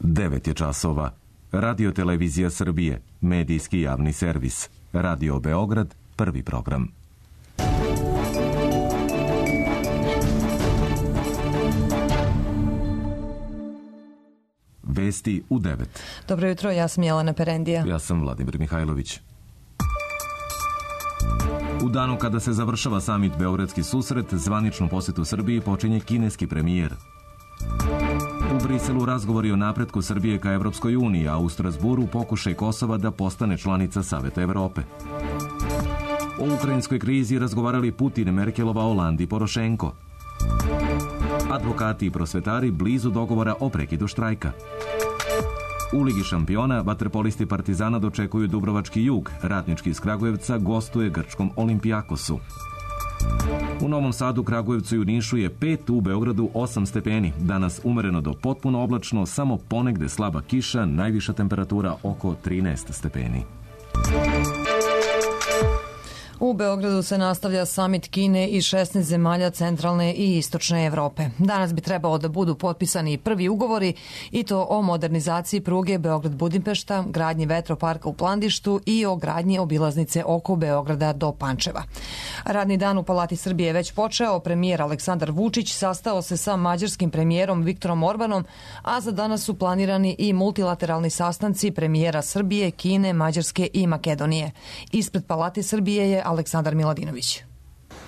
9 je časova. Radio Televizija Srbije, medijski javni servis. Radio Beograd, prvi program. Vesti u 9. Dobro jutro, ja sam Jelena Perendija. Ja sam Vladimir Mihajlović. U danu kada se završava samit Beogradski susret, zvaničnu posetu Srbiji počinje kineski premijer. U Briselu razgovori o napretku Srbije ka Evropskoj uniji, a u Strasburu pokušaj Kosova da postane članica Saveta Evrope. O ukrajinskoj krizi razgovarali Putin, Merkelova, Hollande i Porošenko. Advokati i prosvetari blizu dogovora o prekidu štrajka. U Ligi šampiona vaterpolisti Partizana dočekuju Dubrovački Jug, Radnički iz Kragujevca gostuje grčkom Olimpijakosu. U Novom Sadu, Kragujevcu i u Nišu je 5, u Beogradu 8 stepeni. Danas umereno do potpuno oblačno, samo ponegde slaba kiša, najviša temperatura oko 13 stepeni. U Beogradu se nastavlja samit Kine i 16 zemalja centralne i istočne Evrope. Danas bi trebalo da budu potpisani prvi ugovori i to o modernizaciji pruge Beograd-Budimpešta, gradnji vetroparka u Plandištu i o gradnji obilaznice oko Beograda do Pančeva. Radni dan u Palati Srbije je već počeo. Premijer Aleksandar Vučić sastao se sa mađarskim premijerom Viktorom Orbanom, a za danas su planirani i multilateralni sastanci premijera Srbije, Kine, Mađarske i Makedonije. Ispred Palate Srbije je Aleksandar Miladinović.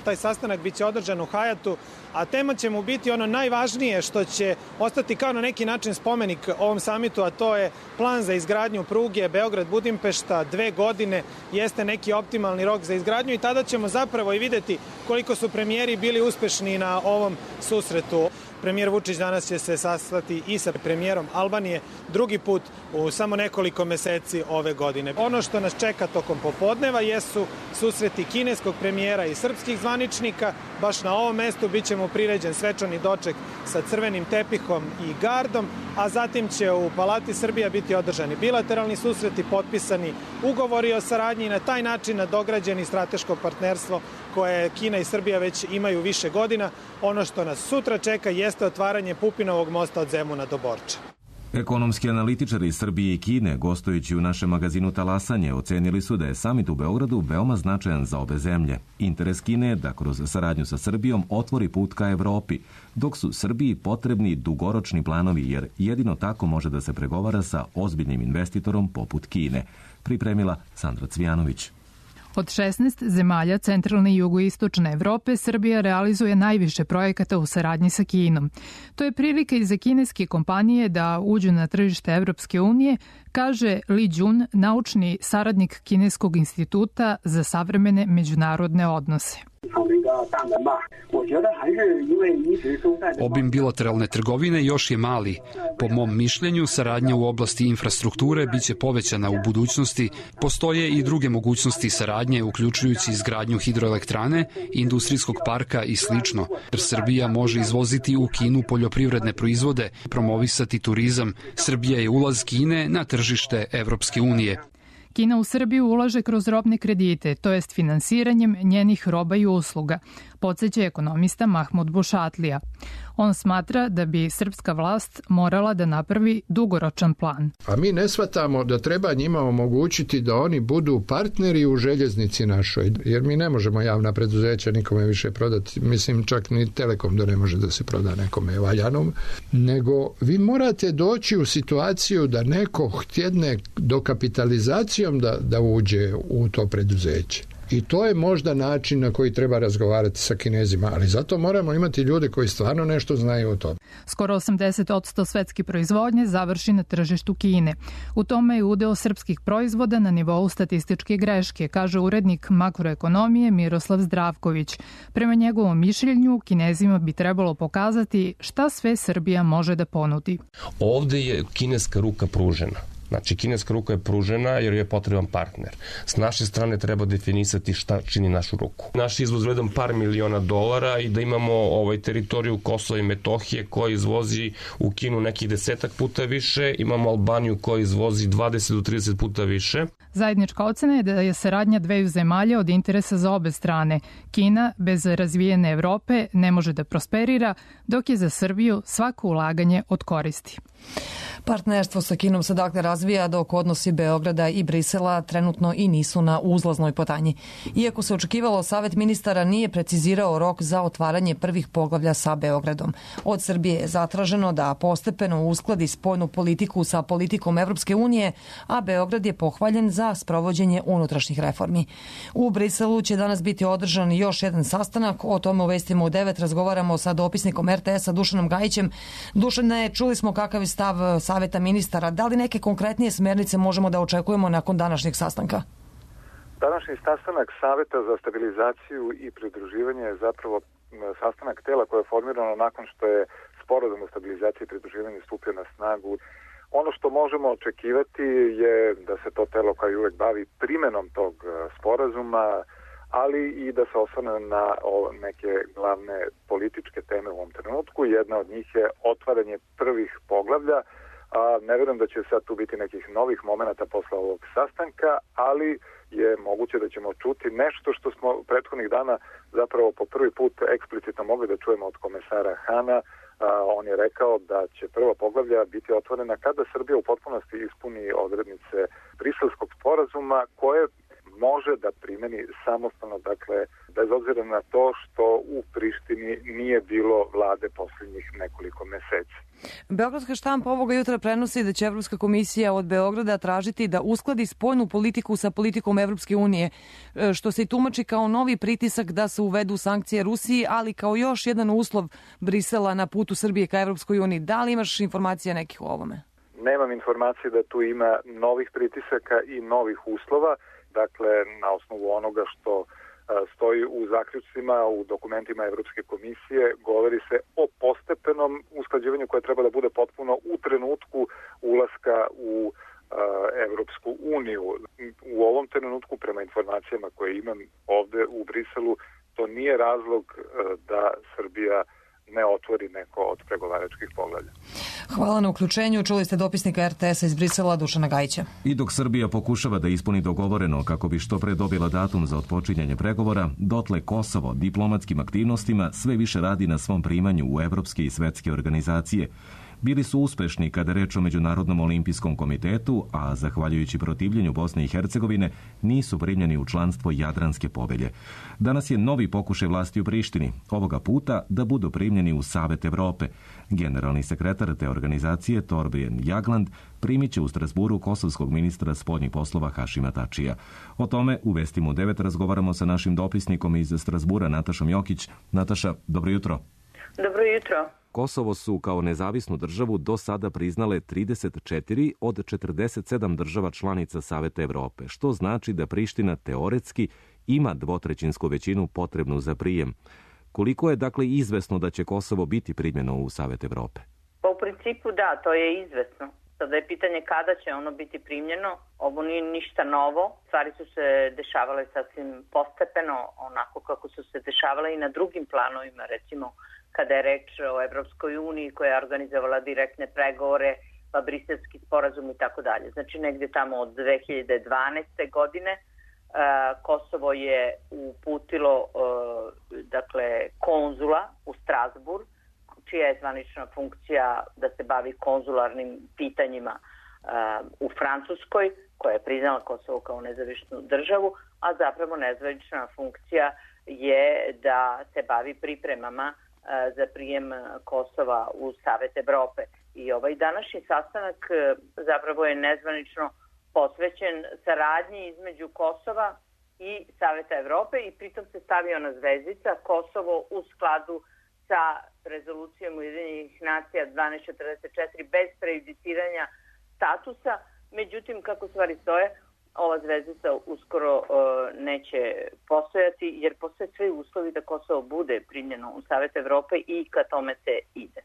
Taj sastanak biće održan u Hajatu, a tema će mu biti ono najvažnije što će ostati kao na neki način spomenik ovom samitu, a to je plan za izgradnju pruge Beograd-Budimpešta. 2 godine jeste neki optimalni rok za izgradnju i tada ćemo zapravo i videti koliko su premijeri bili uspešni na ovom susretu. Premijer Vučić danas će se sastati i sa premijerom Albanije drugi put u samo nekoliko meseci ove godine. Ono što nas čeka tokom popodneva jesu susreti kineskog premijera i srpskih zvaničnika. Baš na ovom mestu bit će mu priređen svečani doček sa crvenim tepihom i gardom, a zatim će u Palati Srbija biti održani bilateralni susreti, potpisani ugovori o saradnji i na taj način nadograđeni strateško partnerstvo koje Kina i Srbija već imaju više godina. Ono što nas sutra čeka jeste otvaranje Pupinovog mosta od Zemuna do Borča. Ekonomski analitičari iz Srbije i Kine, gostujući u našem magazinu Talasanje, ocenili su da je samit u Beogradu veoma značajan za obe zemlje. Interes Kine je da kroz saradnju sa Srbijom otvori put ka Evropi, dok su Srbiji potrebni dugoročni planovi, jer jedino tako može da se pregovara sa ozbiljnim investitorom poput Kine, pripremila Sandra Cvijanović. Od 16 zemalja centralne i jugoistočne Evrope, Srbija realizuje najviše projekata u saradnji sa Kinom. To je prilika i za kineske kompanije da uđu na tržište Evropske unije, kaže Li Jun, naučni saradnik Kineskog instituta za savremene međunarodne odnose. Obim bilateralne trgovine još je mali. Po mom mišljenju, saradnja u oblasti infrastrukture biće povećana u budućnosti. Postoje i druge mogućnosti saradnje, uključujući izgradnju hidroelektrane, industrijskog parka i slično. Srbija može izvoziti u Kinu poljoprivredne proizvode, promovisati turizam. Srbija je ulaz Kine na tržište Evropske unije. Kina u Srbiju ulaže kroz robne kredite, to jest finansiranjem njenih roba i usluga, podseća ekonomista Mahmud Bušatlija. On smatra da bi srpska vlast morala da napravi dugoročan plan. A mi ne shvatamo da treba njima omogućiti da oni budu partneri u željeznici našoj, jer mi ne možemo javna preduzeća nikome više prodati, mislim čak ni Telekom da ne može da se proda nekome valjanom, nego vi morate doći u situaciju da neko htjedne dokapitalizacijom da uđe u to preduzeće. I to je možda način na koji treba razgovarati sa Kinezima, ali zato moramo imati ljude koji stvarno nešto znaju o tome. Skoro 80% svetske proizvodnje završi na tržištu Kine. U tome je udeo srpskih proizvoda na nivou statističke greške, kaže urednik makroekonomije Miroslav Zdravković. Prema njegovom mišljenju, Kinezima bi trebalo pokazati šta sve Srbija može da ponudi. Ovde je kineska ruka pružena. Znači, kineska ruka je pružena jer je potreban partner. S naše strane treba definisati šta čini našu ruku. Naš izvoz vredan par miliona dolara i da imamo teritoriju Kosova i Metohije koja izvozi u Kinu nekih 10 puta više, imamo Albaniju koja izvozi 20 do 30 puta više. Zajednička ocena je da je saradnja dveju zemalja od interesa za obe strane. Kina bez razvijene Evrope ne može da prosperira, dok je za Srbiju svako ulaganje od koristi. Partnerstvo sa Kinom se dakle razvija dok odnosi Beograda i Brisela trenutno i nisu na uzlaznoj putanji. Iako se očekivalo, Savet ministara nije precizirao rok za otvaranje prvih poglavlja sa Beogradom. Od Srbije je zatraženo da postepeno uskladi spoljnu politiku sa politikom Evropske unije, a Beograd je pohvaljen za sprovođenje unutrašnjih reformi. U Briselu će danas biti održan još jedan sastanak, o tome u Vestima u 9 razgovaramo sa dopisnikom RTS-a Dušanom Gajićem. Dušane, čuli smo kakav je stav Saveta ministara. Da li neke konkretnije smernice možemo da očekujemo nakon današnjeg sastanka? Današnji sastanak Saveta za stabilizaciju i pridruživanje je zapravo sastanak tela koje je formirano nakon što je sporazum o stabilizaciji i pridruživanju stupio na snagu. Ono što možemo očekivati je da se to telo kao i uvek bavi primenom tog sporazuma, ali i da se osvrne na neke glavne političke teme u ovom trenutku. Jedna od njih je otvaranje prvih poglavlja. Ne verujem da će sad tu biti nekih novih momenata posle ovog sastanka, ali je moguće da ćemo čuti nešto što smo prethodnih dana zapravo po prvi put eksplicitno mogli da čujemo od komesara Hana. On je rekao da će prva poglavlja biti otvorena kada Srbija u potpunosti ispuni odrednice Briselskog sporazuma koje može da primeni samostalno, dakle, bez obzira na to što u Prištini nije bilo vlade posljednjih nekoliko meseci. Beogradska štampa ovoga jutra prenosi da će Evropska komisija od Beograda tražiti da uskladi spoljnu politiku sa politikom Evropske unije, što se i tumači kao novi pritisak da se uvedu sankcije Rusiji, ali kao još jedan uslov Brisela na putu Srbije ka Evropskoj uniji. Da li imaš informacija nekih o ovome? Nemam informacije da tu ima novih pritisaka i novih uslova. Dakle, na osnovu onoga što stoji u zaključcima, u dokumentima Evropske komisije, govori se o postepenom usklađivanju koje treba da bude potpuno u trenutku ulaska u Evropsku uniju. U ovom trenutku, prema informacijama koje imam ovde u Briselu, to nije razlog da Srbija ne otvori neko od pregovaračkih poglavlja. Hvala na uključenju. Čuli ste dopisnika RTS-a iz Brisela Dušana Gajića. I dok Srbija pokušava da ispuni dogovoreno kako bi što pre dobila datum za otpočinjanje pregovora, dotle Kosovo diplomatskim aktivnostima sve više radi na svom primanju u evropske i svetske organizacije. Bili su uspešni kada reč o Međunarodnom olimpijskom komitetu, a zahvaljujući protivljenju Bosne i Hercegovine nisu primljeni u članstvo Jadranske povelje. Danas je novi pokušaj vlasti u Prištini, ovoga puta da budu primljeni u Savet Evrope. Generalni sekretar te organizacije Torbjörn Jagland primit će u Strasburu kosovskog ministra spoljnih poslova Hašima Tačija. O tome u Vestima u 9 razgovaramo sa našim dopisnikom iz Strasbura Natašom Jokić. Nataša, dobro jutro. Dobro jutro. Kosovo su kao nezavisnu državu do sada priznale 34 od 47 država članica Saveta Evrope, što znači da Priština teoretski ima dvotrećinsku većinu potrebnu za prijem. Koliko je dakle izvesno da će Kosovo biti primljeno u Savet Evrope? Pa u principu da, to je izvesno. Sada je pitanje kada će ono biti primljeno. Ovo nije ništa novo. Stvari su se dešavale sasvim postepeno, onako kako su se dešavale i na drugim planovima, recimo kada je reč o Evropskoj uniji koja je organizovala direktne pregovore, pa briselski sporazum i tako dalje. Znači negdje tamo od 2012. godine Kosovo je uputilo konzula u Strasbourg, čija je zvanična funkcija da se bavi konzularnim pitanjima u Francuskoj, koja je priznala Kosovo kao nezavisnu državu, a zapravo nezvanična funkcija je da se bavi pripremama za prijem Kosova u Savet Evrope. I ovaj današnji sastanak zapravo je nezvanično posvećen saradnji između Kosova i Saveta Evrope i pritom se stavio na zvezdica Kosovo u skladu sa rezolucijom Ujedinjenih nacija 1244 bez prejudiciranja statusa. Međutim, kako stvari stoje, ova zvezdica uskoro neće postojati jer postoje svi uslovi da Kosovo bude primljeno u Savet Evrope i ka tome se ide.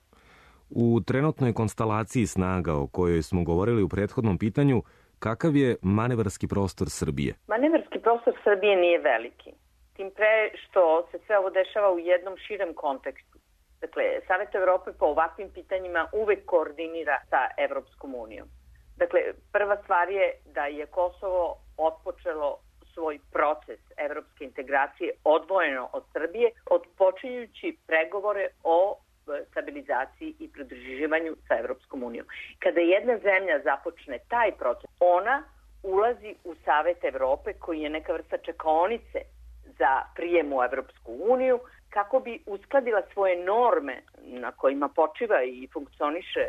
U trenutnoj konstalaciji snaga o kojoj smo govorili u prethodnom pitanju, kakav je manevarski prostor Srbije? Manevarski prostor Srbije nije veliki. Tim pre što se sve ovo dešava u jednom širem kontekstu. Dakle, Savet Evrope po ovakvim pitanjima uvek koordinira sa Evropskom unijom. Dakle, prva stvar je da je Kosovo otpočelo svoj proces evropske integracije odvojeno od Srbije, odpočinjući pregovore o stabilizaciji i pridruživanju sa Evropskom unijom. Kada jedna zemlja započne taj proces, ona ulazi u Savet Evrope, koji je neka vrsta čekaonice za prijem u Evropsku uniju, kako bi uskladila svoje norme na kojima počiva i funkcioniše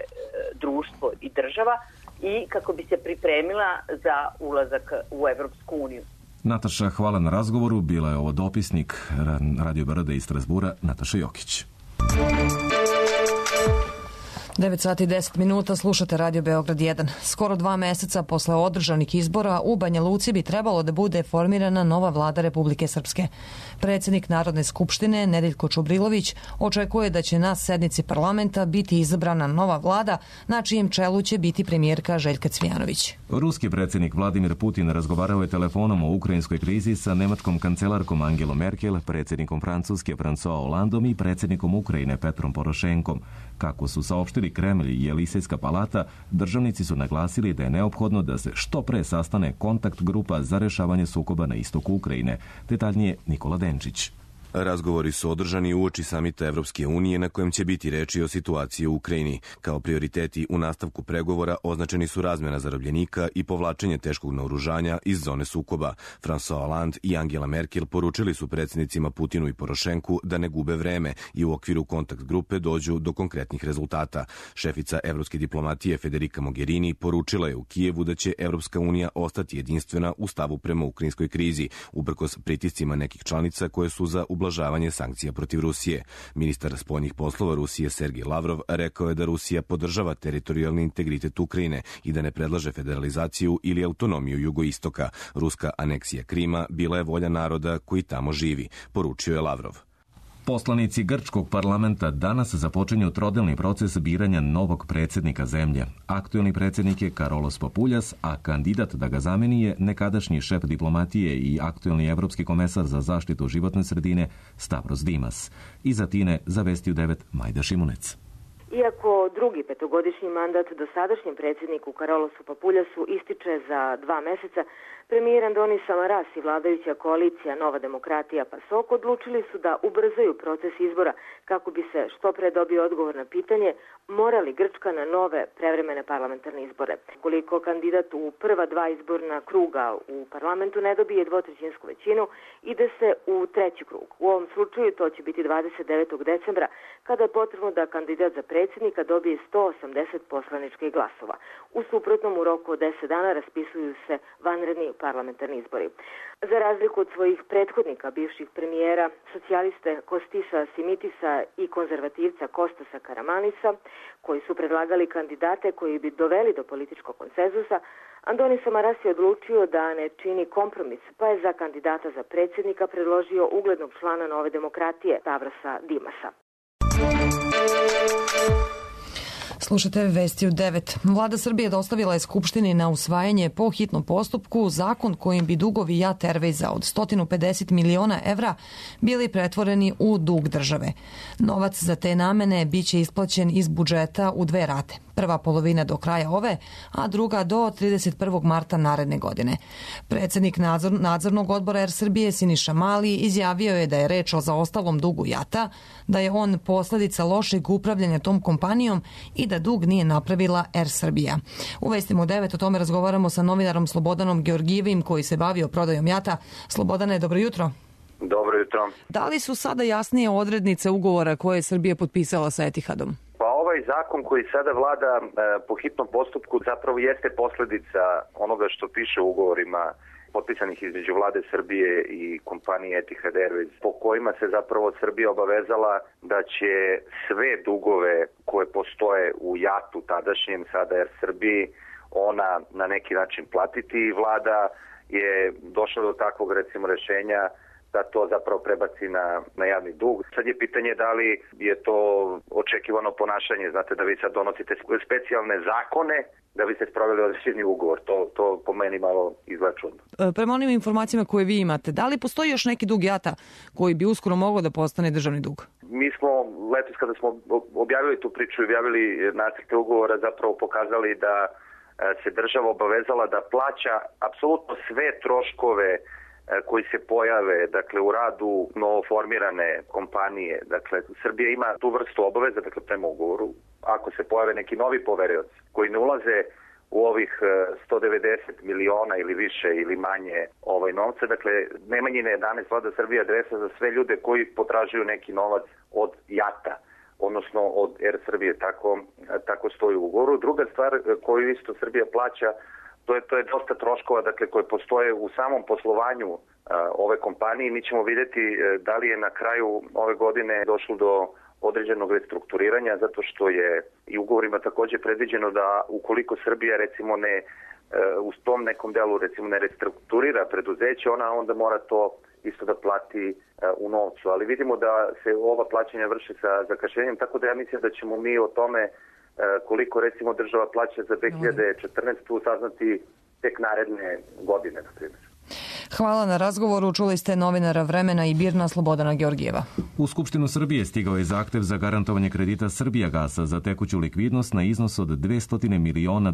društvo i država i kako bi se pripremila za ulazak u Evropsku uniju. Nataša, hvala na razgovoru. Bila je ovo dopisnik Radio Beograda iz Strasbura, Nataša Jokić. 9 sati i 10 minuta, slušate Radio Beograd 1. Skoro 2 meseca posle održanih izbora u Banja Luci bi trebalo da bude formirana nova vlada Republike Srpske. Predsjednik Narodne skupštine Nedeljko Čubrilović očekuje da će na sednici parlamenta biti izabrana nova vlada na čijem čelu će biti premijerka Željka Cvijanović. Ruski predsjednik Vladimir Putin razgovarao je telefonom o ukrajinskoj krizi sa nemačkom kancelarkom Angelom Merkel, predsjednikom Francuske François Hollandom i predsjednikom Ukrajine Petrom Porošenkom. Kako su saopštili Kremlj i Elisejska palata, državnici su naglasili da je neophodno da se što pre sastane kontakt grupa za rešavanje sukoba na istoku Ukrajine. Detaljnije Nikola Denčić. Razgovori su održani uoči samita Evropske unije na kojem će biti reči o situaciji u Ukrajini. Kao prioriteti u nastavku pregovora označeni su razmjena zarobljenika i povlačenje teškog naoružanja iz zone sukoba. François Hollande i Angela Merkel poručili su predsjednicima Putinu i Porošenku da ne gube vreme i u okviru kontakt grupe dođu do konkretnih rezultata. Šefica evropske diplomatije Federica Mogherini poručila je u Kijevu da će Evropska unija ostati jedinstvena u stavu prema ukrajinskoj krizi, uprkos pritiscima nekih članica koje su za ublažavanje sankcija protiv Rusije. Ministar spoljnih poslova Rusije Sergej Lavrov rekao je da Rusija podržava teritorijalni integritet Ukrajine i da ne predlaže federalizaciju ili autonomiju jugoistoka. Ruska aneksija Krima bila je volja naroda koji tamo živi, poručio je Lavrov. Poslanici grčkog parlamenta danas započinju trodelni proces biranja novog predsjednika zemlje. Aktuelni predsjednik je Karolos Papuljas, a kandidat da ga zameni je nekadašnji šef diplomatije i aktuelni evropski komesar za zaštitu životne sredine Stavros Dimas. Iz Atine za Vesti u 9 Majda Šimunec. Iako drugi petogodišnji mandat dosadašnjem predsjedniku Karolosu Papuljasu ističe za 2 meseca, premijer Andonis Samaras i vladajuća koalicija Nova demokratija PASOK odlučili su da ubrzaju proces izbora kako bi se što pre dobio odgovor na pitanje mora li Grčka na nove prevremene parlamentarne izbore. Koliko kandidat u prva 2 izborna kruga u parlamentu ne dobije dvotrećinsku većinu, ide se u treći krug. U ovom slučaju to će biti 29. decembra, kada je potrebno da kandidat za predsjednika dobije 180 poslaničkih glasova. U suprotnom, u roku od 10 dana raspisuju se vanredni parlamentarni izbori. Za razliku od svojih prethodnika, bivših premijera, socijaliste Kostisa Simitisa i konzervativca Kostasa Karamanisa, koji su predlagali kandidate koji bi doveli do političkog konsenzusa, Andonis Samaras je odlučio da ne čini kompromis, pa je za kandidata za predsjednika predložio uglednog člana Nove demokratije Stavrosa Dimasa. Slušate Vesti u 9. Vlada Srbije dostavila je Skupštini na usvajanje po hitnom postupku zakon kojim bi dugovi JAT Airwaysa od 150 miliona evra bili pretvoreni u dug države. Novac za te namene biće isplaćen iz budžeta u 2 rate. Prva polovina do kraja ove, a druga do 31. marta naredne godine. Predsjednik nadzornog odbora Air Srbije Siniša Mali izjavio je da je reč o zaostalom dugu JAT-a, da je on posljedica lošeg upravljanja tom kompanijom i da dug nije napravila Air Srbija. U Vestima u 9 o tome razgovaramo sa novinarom Slobodanom Georgijevim koji se bavio prodajom JAT-a. Slobodane, dobro jutro. Dobro jutro. Da li su sada jasnije odrednice ugovora koje je Srbija potpisala sa Etihadom? Pa ovaj zakon koji sada vlada po hitnom postupku zapravo jeste posljedica onoga što piše u ugovorima potpisanih između vlade Srbije i kompanije Etihad Airways, po kojima se zapravo Srbija obavezala da će sve dugove koje postoje u JAT-u tadašnjem, sada Air Srbiji, ona na neki način platiti i vlada je došla do takvog recimo rešenja da to zapravo prebaci na javni dug. Sad je pitanje da li je to očekivano ponašanje, znate da vi sad donosite specijalne zakone da biste sproveli određeni ugovor. To po meni malo izgleda čudno. Prema onim informacijama koje vi imate, da li postoji još neki dug JAT-a koji bi uskoro mogao da postane državni dug? Mi smo letos kada smo objavili tu priču i objavili nacrte ugovora zapravo pokazali da se država obavezala da plaća apsolutno sve troškove koji se pojave, dakle, u radu novoformirane kompanije. Dakle, Srbija ima tu vrstu obaveza, dakle, prema ugovoru. Ako se pojave neki novi poverioci koji ne ulaze u ovih 190 miliona ili više ili manje novca, dakle, Nemanjina 11 Vlada Srbije adresa za sve ljude koji potražuju neki novac od JAT-a, odnosno od Air Srbije, tako stoji u ugovoru. Druga stvar koju isto Srbija plaća, to je dosta troškova, dakle, koje postoje u samom poslovanju ove kompanije. Mi ćemo vidjeti da li je na kraju ove godine došlo do određenog restrukturiranja, zato što je i ugovorima također predviđeno da ukoliko Srbija recimo ne u tom nekom delu recimo ne restrukturira preduzeće, ona onda mora to isto da plati u novcu. Ali vidimo da se ova plaćanja vrše sa zakašnjenjem, tako da ja mislim da ćemo mi o tome koliko recimo država plaća za 2014. saznati tek naredne godine, na primjer. Hvala na razgovoru. Čuli ste novinara Vremena i Birna Slobodana Georgijeva. U Skupštinu Srbije stigao je zahtev za garantovanje kredita Srbijagasa za tekuću likvidnost na iznos od $200 miliona,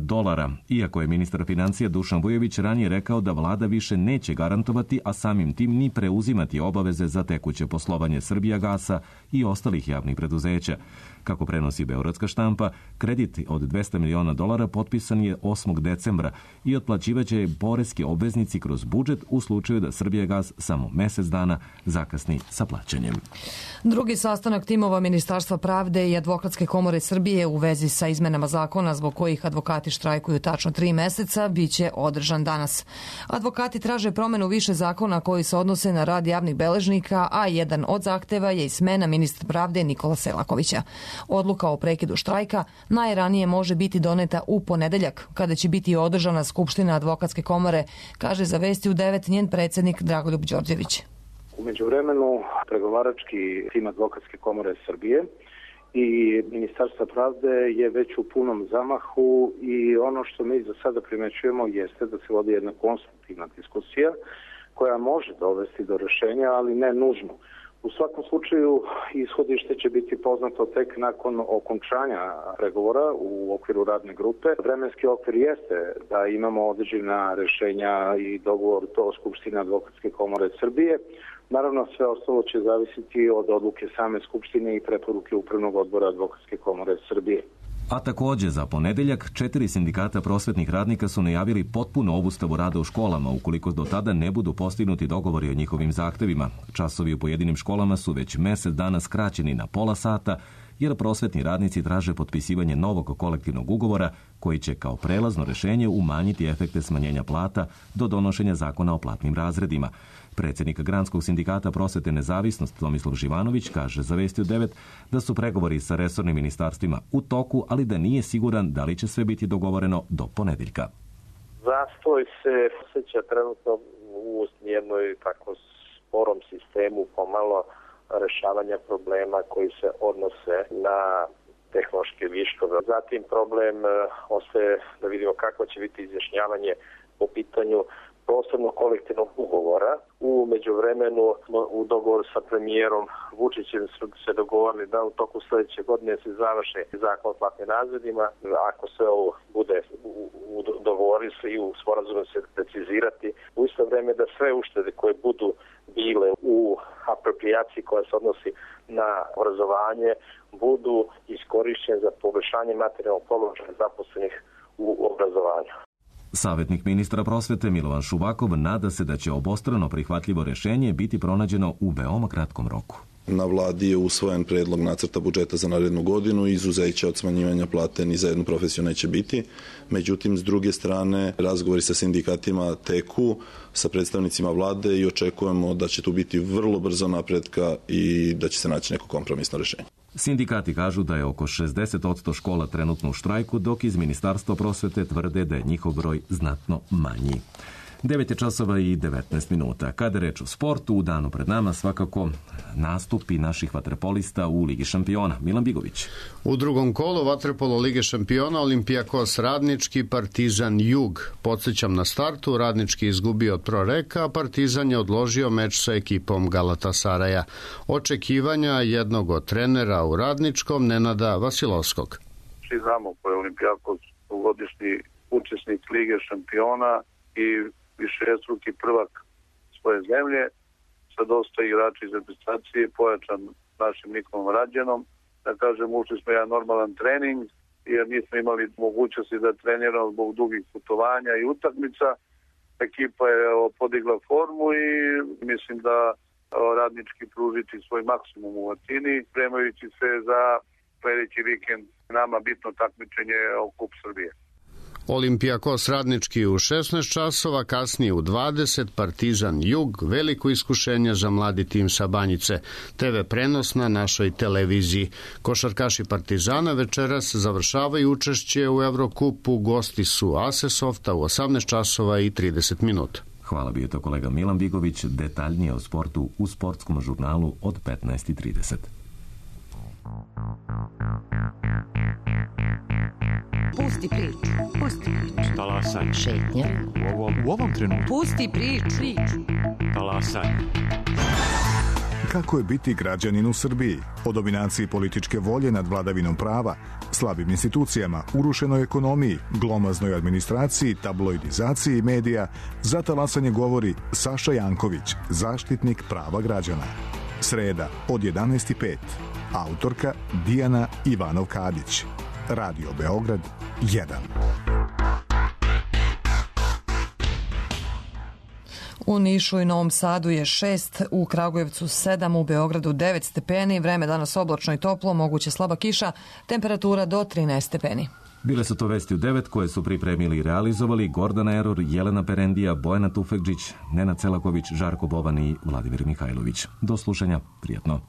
iako je ministar financija Dušan Vujović ranije rekao da vlada više neće garantovati, a samim tim ni preuzimati obaveze za tekuće poslovanje Srbijagasa i ostalih javnih preduzeća. Kako prenosi beogradska štampa, kredit od $200 miliona potpisan je 8. decembra i otplaćivaće poreski obveznici kroz budžet u slučaju da Srbijagas samo mjesec dana zakasni sa plaćanjem. Drugi sastanak timova Ministarstva pravde i Advokatske komore Srbije u vezi sa izmenama zakona zbog kojih advokati štrajkuju tačno 3 meseca biće održan danas. Advokati traže promenu više zakona koji se odnose na rad javnih beležnika, a jedan od zahteva je i smena ministra pravde Nikola Selakovića. Odluka o prekidu štrajka najranije može biti doneta u ponedeljak, kada će biti održana Skupština Advokatske komore, kaže za Vesti u 9 njen predsjednik Dragoljub Đorđević. U međuvremenu pregovarački tim Advokatske komore Srbije i Ministarstva pravde je već u punom zamahu i ono što mi za sada primećujemo jeste da se vodi jedna konstruktivna diskusija koja može dovesti do rješenja, ali ne nužno. U svakom slučaju ishodište će biti poznato tek nakon okončanja pregovora u okviru radne grupe. Vremenski okvir jeste da imamo određena rješenja i dogovor do Skupštine Advokatske komore Srbije. Naravno, sve ostalo će zavisiti od odluke same Skupštine i preporuke Upravnog odbora Advokatske komore Srbije. A također za ponedeljak 4 sindikata prosvetnih radnika su najavili potpuno obustavu rada u školama ukoliko do tada ne budu postignuti dogovori o njihovim zahtevima. Časovi u pojedinim školama su već mjesec dana skraćeni na pola sata jer prosvetni radnici traže potpisivanje novog kolektivnog ugovora koji će kao prelazno rješenje umanjiti efekte smanjenja plata do donošenja zakona o platnim razredima. Predsjednik Granskog sindikata prosvete Nezavisnost Tomislav Živanović kaže za Vesti u 9 da su pregovori sa resornim ministarstvima u toku, ali da nije siguran da li će sve biti dogovoreno do ponedeljka. Zastoj se osjeća trenutno u jednoj tako sporom sistemu pomalo rešavanja problema koji se odnose na tehnološke viškove. Zatim problem ostaje da vidimo kako će biti izjašnjavanje po pitanju posebno kolektivnog ugovora. U međuvremenu u dogovoru sa premijerom Vučićem su se dogovorili da u toku sljedeće godine se završi zakon o platnim razredima. Ako se ovo bude dogovorili se i u sporazumu se precizirati, u isto vrijeme da sve uštede koje budu bile u aproprijaciji koja se odnosi na obrazovanje budu iskorištene za poboljšanje materijalnog položaja zaposlenih u obrazovanju. Savjetnik ministra prosvete Milovan Šubakov nada se da će obostrano prihvatljivo rješenje biti pronađeno u veoma kratkom roku. Na vladi je usvojen predlog nacrta budžeta za narednu godinu i izuzeća od smanjivanja plate ni za jednu profesiju neće biti. Međutim, s druge strane, razgovori sa sindikatima teku, sa predstavnicima vlade i očekujemo da će tu biti vrlo brzo napretka i da će se naći neko kompromisno rješenje. Sindikati kažu da je oko 60% škola trenutno u štrajku, dok iz Ministarstva prosvete tvrde da je njihov broj znatno manji. 9 časova i 19 minuta. Kada reč o sportu, u danu pred nama svakako nastupi naših vaterpolista u Ligi šampiona. Milan Bigović. U drugom kolu vaterpolo Lige šampiona Olimpijakos Radnički, Partizan Jug. Podsjećam na startu, Radnički izgubio od Proreka, a Partizan je odložio meč sa ekipom Galatasaraja. Očekivanja jednog od trenera u Radničkom, Nenada Vasilovskog. Svi znamo ko je Olimpijakos dugogodišnji učesnik Lige šampiona i višestruki prvak svoje zemlje, sa dosta igrača iz reprezentacije, pojačan našim Nikolom Rađenom. Da kažem, ušli smo jedan normalan trening, jer nismo imali mogućnosti da treniramo zbog dugih putovanja i utakmica. Ekipa je podigla formu i mislim da Radnički pružiti svoj maksimum u Atini, spremajući se za sledeći vikend nama bitno takmičenje o Kup Srbije. Olimpijakos Radnički u 16 časova, kasnije u 20, Partizan Jug, veliko iskušenje za mladi tim sa Banjice. TV prenos na našoj televiziji. Košarkaši Partizana večeras završavaju učešće u Evrokupu, gosti su AS Softa u 18 časova i 30 minuta. Hvala, bio to kolega Milan Bigović, detaljnije o sportu u sportskom žurnalu od 15:30. Pusti priču. Talasaj. Šetnja. U ovom trenutku. Pusti priču. Talasaj. Kako je biti građanin u Srbiji? O dominaciji političke volje nad vladavinom prava, slabim institucijama, urušenoj ekonomiji, glomaznoj administraciji, tabloidizaciji medija, za talasanje govori Saša Janković, zaštitnik prava građana. Sreda od 11:05. Autorka Dijana Ivanov-Kadić. Radio Beograd 1. U Nišu i Novom Sadu je 6, u Kragujevcu 7, u Beogradu 9 stepeni, vreme danas oblačno i toplo, moguće slaba kiša, temperatura do 13 stepeni. Bile su to vesti u 9 koje su pripremili i realizovali Gordana Eror, Jelena Perendija, Bojana Tufekđić, Nenad Celaković, Žarko Boban i Vladimir Mihajlović. Do slušanja, prijatno.